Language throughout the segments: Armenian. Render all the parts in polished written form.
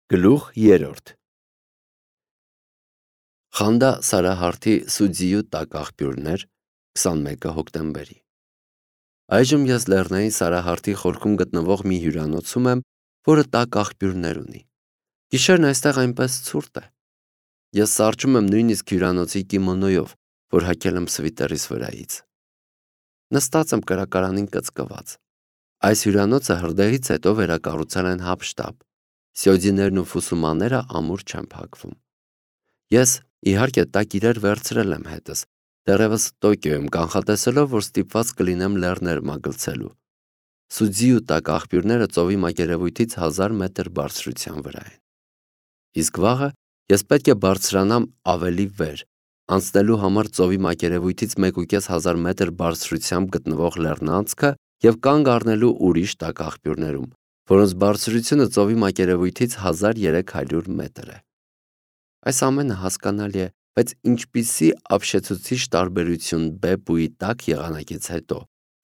Գլուխ 3 Խանդա Սարահարթի Սուձիու տակ աղբյուրներ 21 հոկտեմբերի Այժմ ես Լեռնային Սարահարթի խորքում գտնվող մի հյուրանոցում եմ, որը տակ աղբյուրներ ունի։ Գիշերն այստեղ այնպես ցուրտ է։ Ես սառչում եմ նույնիսկ հյուրանոցի կիմոնոյով, որ հագել եմ սվիտերիս վրայից։ Նստած եմ կրակարանին կծկված։ Այս հյուրանոցը հրդեհից հետո վերակառուցել են հապշտապ։ Սյոդիներն ու ֆուսումաները ամուր չեն փակվում։ Ես, իհարկե, տակ իրեր վերցրել եմ հետս, դեռևս Տոկիոյում կանխատեսելով, որ ստիպված կլինեմ լեռներ մագլցելու։ Սուձիու տակ աղբյուրները ծովի մակերևույթից 1000 մետր բարձրության վրա են։ Իսկ վաղը ես պետք է բարձրանամ ավելի վեր, անցնելու համար ծովի մակերևույթից 1500 մետր բարձրությամբ գտնվող լեռնանցքը և կանգ առնելու ուրիշ տակ աղբյուրներում, որոնց բարձրությունը ծովի մակերևույթից 1300 մետր է։ Այս ամենը հասկանալի է, բայց ինչպիսի ապշեցուցիչ տարբերություն Բեպուի տաք եղանակից հետո,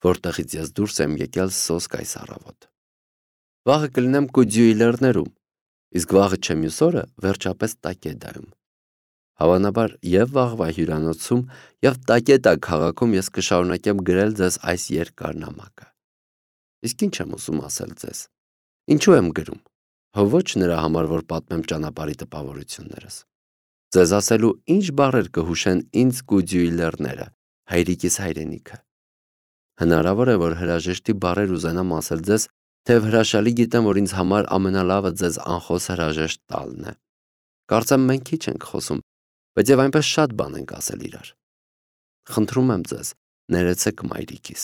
որտեղից ես դուրս եմ եկել սոսկ այս առավոտ։ Վաղը կլինեմ Կուձյուի լեռներում, իսկ վաղը չէ մյուս օրը վերջապես Տակեդայում։ Հավանաբար և վաղվա հյուրանոցում, և Տակեդա քաղաքում ես կշարունակեմ գրել ձեզ այս երկար նամակը։ Իսկ ինչ եմ ուզում ասել ձեզ։ Ինչու եմ գրում։ Հո ոչ նրա համար, որ պատմեմ ճանապարհի տպավորություններս։ Ձեզ ասելու ինչ բառեր կհուշեն ինձ Կուձյուի լեռները, հայրիկիս հայրենիքը։ Հնարավոր է, որ հրաժեշտի բառեր ուզենամ ասել ձեզ, թեև հրաշալի գիտեմ, որ ինձ համար ամենալավը ձեզ անխոս հրաժեշտ տալն է։ Կարծեմ մենք քիչ ենք խոսում, բայց եւ այնպես շատ բան ենք ասել իրար։ Խնդրում եմ ձեզ, ներեցեք մայրիկիս։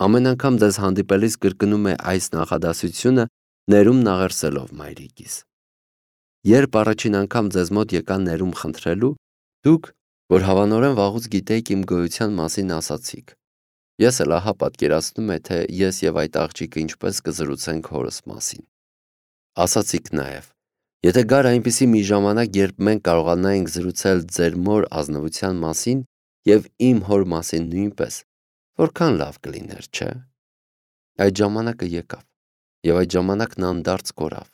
Ամեն անգամ ձեզ հանդիպելիս կրկնում է այս նախադասությունը, ներում նաղերսելով մայրիկիս։ Երբ առաջին անգամ ձեզ մոտ եկա ներում խնդրելու, դուք, որ հավանորեն վաղուց գիտեիք իմ գոյության մասին, ասացիք։ Ես էլ ահա պատկերացնում եմ, թե ես եւ այդ աղջիկը ինչպես կզրուցենք հորս մասին։ Ասացիք նաեւ. եթե գար այնպիսի մի ժամանակ, երբ մենք կարողանայինք զրուցել ձեր մոր ազնվության մասին եւ իմ հոր մասին նույնպես, որքան լավ կլիներ, չէ՞։ Այդ ժամանակը եկավ, եւ այդ ժամանակն անդարձ կորավ։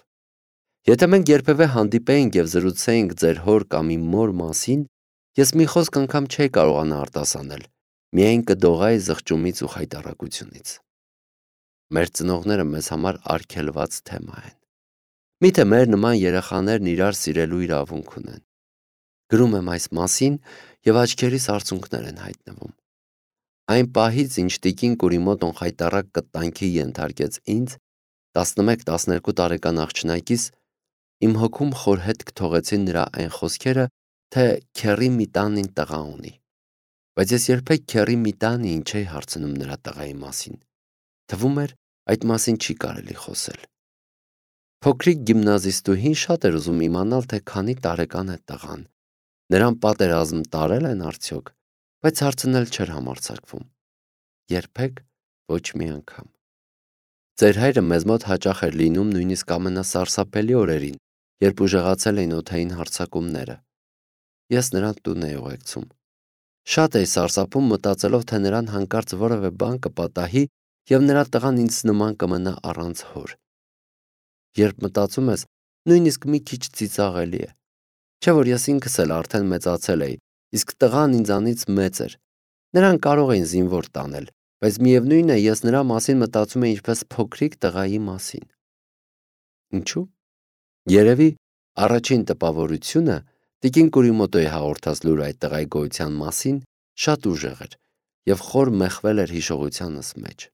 Եթե մենք երբևէ հանդիպեինք եւ զրուցեինք ձեր հոր կամ իմ մոր մասին, ես մի խոսք անգամ չէի կարողանա արտասանել, միայն կդողայի զղջումից ու խայտառակությունից։ Մեր ծնողները մեզ համար արգելված թեմա են։ Միթե մեր նման երեխաներն իրար սիրելու իրավունք ունեն։ Գրում եմ այս մասին եւ աչքերիս արցունքներ են հայտնվում։ Այն պահից, ինչ տիկին Կուրիմոտոն խայտառակ կտանքի ենթարկեց ինձ, 11-12 տարեկան աղջնակից, իմ հոգում խորհետք թողեցին նրա այն խոսքերը, թե քեռի մի տանին տղա ունի։ Բայց ես երբեք քեռի մի տանին չէի հարցնում նրա տղայի մասին։ Թվում էր, այդ մասին չի կարելի խոսել։ Փոքրիկ գիմնազիստուհին շատ էր ուզում իմանալ, թե քանի տարեկան է տղան։ Նրան պատերազմ տարել են արդյոք, բայց հարցն էլ չէր համարձակվում։ Երբեք ոչ մի անգամ։ Ձեր հայրը մեզ մոտ հաճախ էր լինում նույնիսկ ամենասարսափելի օրերին, երբ ուժեղացել էին օդային հարձակումները։ Ես նրան տուն էի ուղեկցում։ Շատ էի սարսափում մտածելով, թե նրան հանկարծ որևէ բան կպատահի եւ նրա տղան ինձ նման կմնա առանց հոր։ Երբ մտածում ես, նույնիսկ մի քիչ ծիծաղելի է։ Չէ՞ որ ես ինքս էլ արդեն մեծացել էի, իսկ տղան ինձանից մեծ էր։ Նրան կարող էին զինվոր տանել, բայց միևնույն է, ես նրա մասին մտածում էի ինչպես փոքրիկ տղայի մասին։ Ինչու՞։ Երևի առաջին տպավորությունը տիկին Կուրիմոտոյի հաղորդած լուրը այդ տղայի գոյության մասին շատ ուժեղ էր եւ խոր մեխվել էր հիշողությանս մեջ։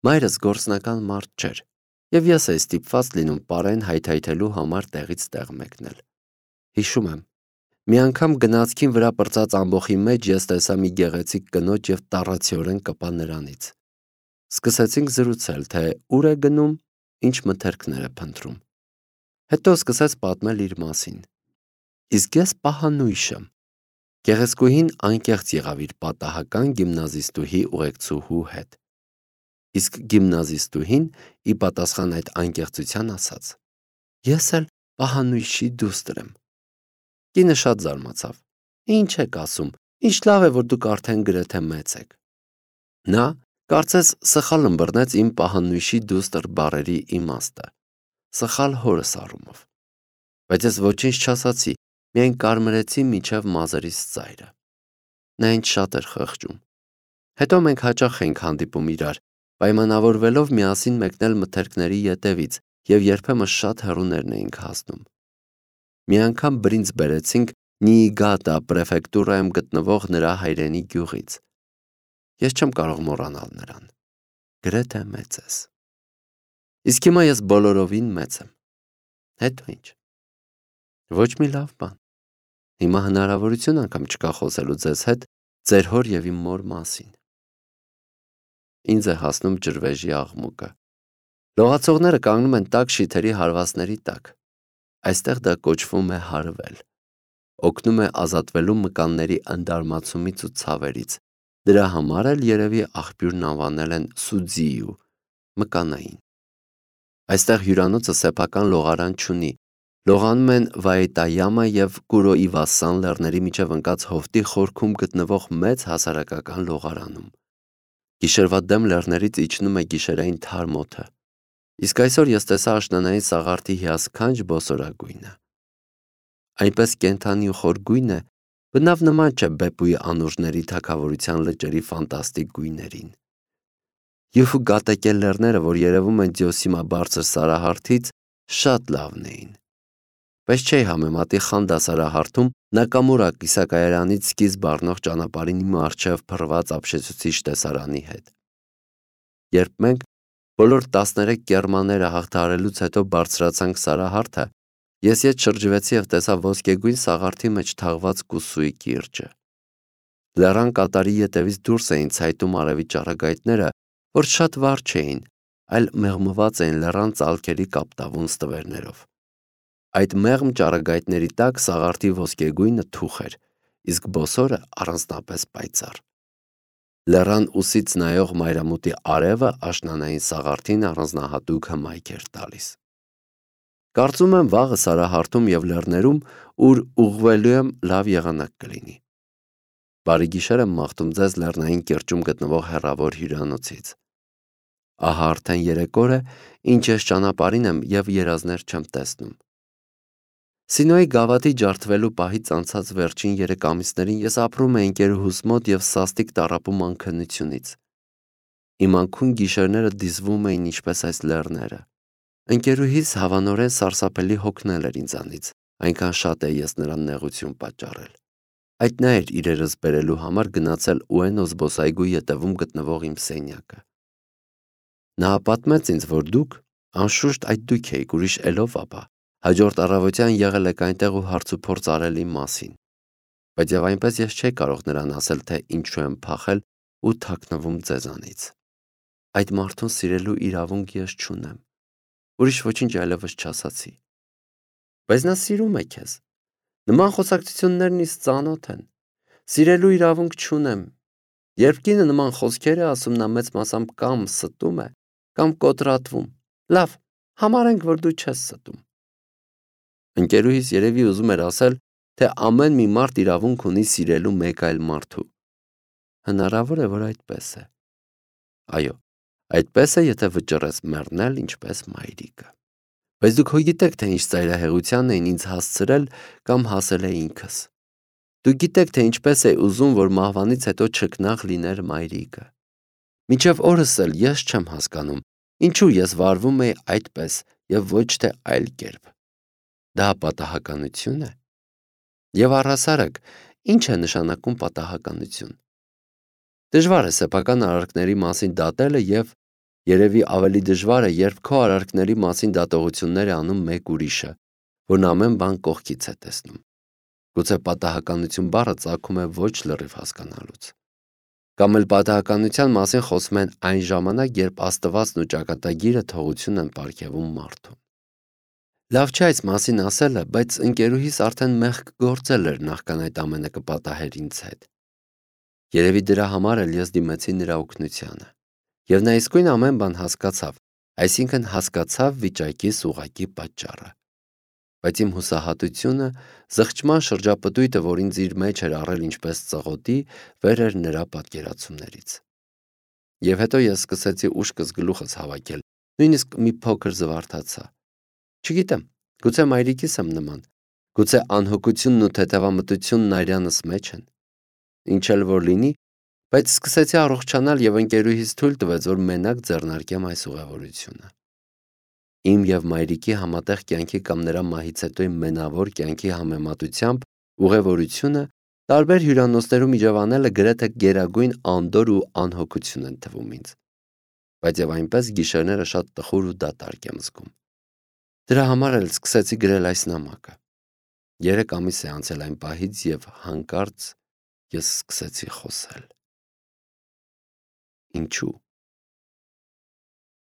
Մայրս գործնական մարդ չէր, եւ ես էի ստիպված լինում պարեն հայթայթելու համար տեղից տեղ մեկնել։ Հիշում եմ, մի անգամ գնացքին վրա պրծած ամբոխի մեջ ես տեսա մի գեղեցիկ կնոջ եւ տառացիորեն կպա նրանից։ Սկսեցինք զրուցել, թե ուր է գնում, ինչ մթերքներ է փնտրում։ Հետո սկսեց պատմել իր մասին։ Իսկ ես պահանույշ եմ։ Գեղեցկուհին անկեղծ եղավ իր պատահական գիմնազիստուհի ուղեկցուհու հետ։ Իսկ գիմնազիստուհին ի պատասխան այդ անկեղծության ասաց. Ես էլ պահանույշի դուստր եմ։ Կինը շատ զարմացավ։ Ինչ եք ասում, ինչ լավ է, որ դուք արդեն գրեթե մեծ եք։ Նա կարծես սխալ ըմբռնեց իմ պահանույշի դուստր բառերի իմաստը։ սխալ հորս առումով։ Բայց ես ոչինչ չասացի, միայն կարմրեցի մինչև մազերիս ծայրը։ Նա ինձ շատ էր խղճում։ Հետո մենք հաճախ էինք հանդիպում իրար, պայմանավորվելով միասին մեկնել մթերքների ետևից և երբեմն շատ հեռուներն էինք հասնում։ Մի անգամ բրինձ բերեցինք Նիիգատա պրեֆեկտուրայում գտնվող նրա հայրենի գյուղից։ Ես չեմ կարող մոռանալ նրան։ Գրեթե մեծես։ Իսկ հիմա ես բոլորովին մեծ եմ։ Հետո ինչ։ Ոչ մի լավ բան։ Հիմա հնարավորություն անգամ չկա խոսելու ձեզ հետ ձեր հոր և իմ մոր մասին։ Ինձ է հասնում ջրվեժի աղմուկը։ Լողացողները կանգնում են տաք շիթերի հարվածների տակ։ Այստեղ դա կոչվում է հարվել։ Օգնում է ազատվելու մկանների ընդարմացումից ու ցավերից։ Դրա համար էլ երևի աղբյուրն անվանել են Սուձիու, մկանային։ Այստեղ հյուրանոցը սեփական լողարան չունի։ Լողանում են Վայետայամա և Կուրոիվասան լեռների միջև ընկած հովտի խորքում գտնվող մեծ հասարակական լողարանում։ Գիշերվա դեմ լեռներից իջնում է գիշերային թարմ օդը։ Իսկ այսօր ես տեսա աշնանային սաղարթի հիասքանչ բոսորագույնը։ Այնպես կենդանի ու խոր գույն է, բնավ նման չէ Բեպուի անուրջների թագավորության լճերի ֆանտաստիկ գույներին։ Յուֆու գատեկել լեռները, որ երևում են Դյոսիմա բարձր սարահարթից, շատ լավն էին։ Բայց չէի համեմատի Խան դասարահարթում Նակամուրա կիսակայարանից սկիզբ առնող ճանապարհին իմ առջև փռված ապշեցուցիչ տեսարանի հետ։ Երբ մենք բոլոր 13 կեռմաները հաղթահարելուց հետո բարձրացանք սարահարթը, ես ետ շրջվեցի և տեսա ոսկեգույն սաղարթի մեջ թաղված կուսույի կիրճը։ Լեռան կատարի ետևից դուրս էին ցայտում արևի ճառագայթները, որ շատ վառ չէին, այլ մեղմված էին լեռան ծալքերի կապտավուն ստվերներով։ Այդ մեղմ ճառագայթների տակ սաղարթի ոսկեգույնը թուխ էր, իսկ բոսորը առանձնապես պայծառ։ Լեռան ուսից նայող մայրամուտի արևը աշնանային սաղարթին առանձնահատուկ հմայք էր տալիս։ Կարծում եմ վաղը սարահարթում և լեռներում, ուր ուղղվելու եմ, լավ եղանակ կլինի։ Բարի գիշեր եմ մաղթում ձեզ լեռնային կիրճում գտնվող հեռավոր հյուրանոցից։ Ահա արդեն 3 օր է, ինչ ես ճանապարհին եմ և երազներ չեմ տեսնում։ Սինոյի գավաթի ջարդվելու պահից անցած վերջին 3 ամիսներին ես ապրում էի ընկերուհուս մոտ և սաստիկ տառապում անքնությունից։ Իմ անքուն գիշերները դիզվում էին ինչպես այս լեռները։ Ընկերուհիս հավանորեն սարսափելի հոգնել էր ինձանից, այնքան շատ էի ես նրան նեղություն պատճառել։ Այդ նա էր իրերս բերելու համար գնացել Ուենո զբոսայգու ետևում գտնվող իմ սենյակը։ Նա պատմեց ինձ, որ դուք, անշուշտ այդ դուք էիք, ուրիշ ելով ապա, հաջորդ առավոտյան եղել եք այնտեղ ու հարցուփորձ արել իմ մասին։ Բայց և այնպես ես չէի կարող նրան ասել, թե ինչու եմ փախել ու թաքնվում ձեզանից։ Այդ մարդուն սիրելու իրավունք ես չունեմ։ Ուրիշ ոչինչ այլևս չասացի։ Բայց նա սիրում է քեզ։ Նման խոսակցություններն ինձ ծանոթ են։ Սիրելու իրավունք չունեմ։ Երբ կինը նման խոսքեր է ասում, նա մեծ մասամբ կամ ստում է, կամ կոտրատվում։ Լավ, համարենք, որ դու չես ստում։ Ընկերուհիս երևի ուզում էր ասել, թե ամեն մի մարդ իրավունք ունի սիրելու մեկ այլ մարդու։ Հնարավոր է, որ այդպես է։ Այո, այդպես է, եթե վճռես մեռնել ինչպես մայրիկը։ Բայց դուք գիտեք, թե ինչ ծայրահեղության էին ինձ հասցրել կամ հասել է ինքս։ Դուք գիտեք, թե ինչպես է ուզում, որ մահվանից հետո չքնաղ լիներ մայրիկը։ Մինչև օրս էլ ես չեմ հասկանում, ինչու ես վարվում էի այդպես և ոչ թե այլ կերպ։ Դա պատահականություն է։ Եվ առհասարակ, ինչ է նշանակում պատահականություն։ Դժվար է սեփական արարքների մասին դատելը և երևի ավելի դժվար է, երբ քո արարքների մասին դատողություններ է անում մեկ ուրիշը, որն ամեն բան կողքից է տեսնում։ Գուցե պատահականություն բառը ծագում է ոչ լրիվ հասկանալուց։ Կամ էլ պատահականության մասին խոսում են այն ժամանակ, երբ Աստվածն ու ճակատագիրը թողություն են պարգևում մարդուն։ Լավ չէ այս մասին ասելը, բայց ընկերուհիս արդեն մեղք գործել էր նախքան այդ ամենը կպատահեր ինձ հետ։ Երևի դրա համար էլ ես դիմեցի նրա օգնությանը։ Եվ նա իսկույն ամեն բան հասկացավ, այսինքն հասկացավ վիճակիս ուղղակի պատճառը։ Բայց իմ հուսահատությունը, զղջման շրջապտույտը, որ ինձ իր մեջ էր առել ինչպես ծղոտի, վեր էր նրա պատկերացումներից։ Եվ հետո ես սկսեցի ուշքս գլուխս հավաքել, նույնիսկ մի փոքր զվարթացա։ Չգիտեմ, գուցե մայրիկիս եմ նման, գուցե անհոգությունն ու թեթևամտությունն արյանս մեջ են։ Ինչ էլ որ լինի, բայց սկսեցի առողջանալ եւ ընկերուհիս թույլ տվեց, որ մենակ ձեռնարկեմ այս ուղևորությունը։ Իմ եւ մայրիկի համատեղ կյանքի կամ նրա մահից հետո իմ մենավոր կյանքի համեմատությամբ ուղևորությունը տարբեր հյուրանոցներում իջևանելը գրեթե գերագույն անդորր ու անհոգություն են թվում ինձ։ Բայց եւ այնպես գիշերները շատ տխուր ու դատարկ եմ զգում։ Դրա համար էլ սկսեցի գրել այս նամակը։ 3 ամիս է անցել այն պահից եւ հանկարծ ես սկսեցի խոսել։ Ինչու՞։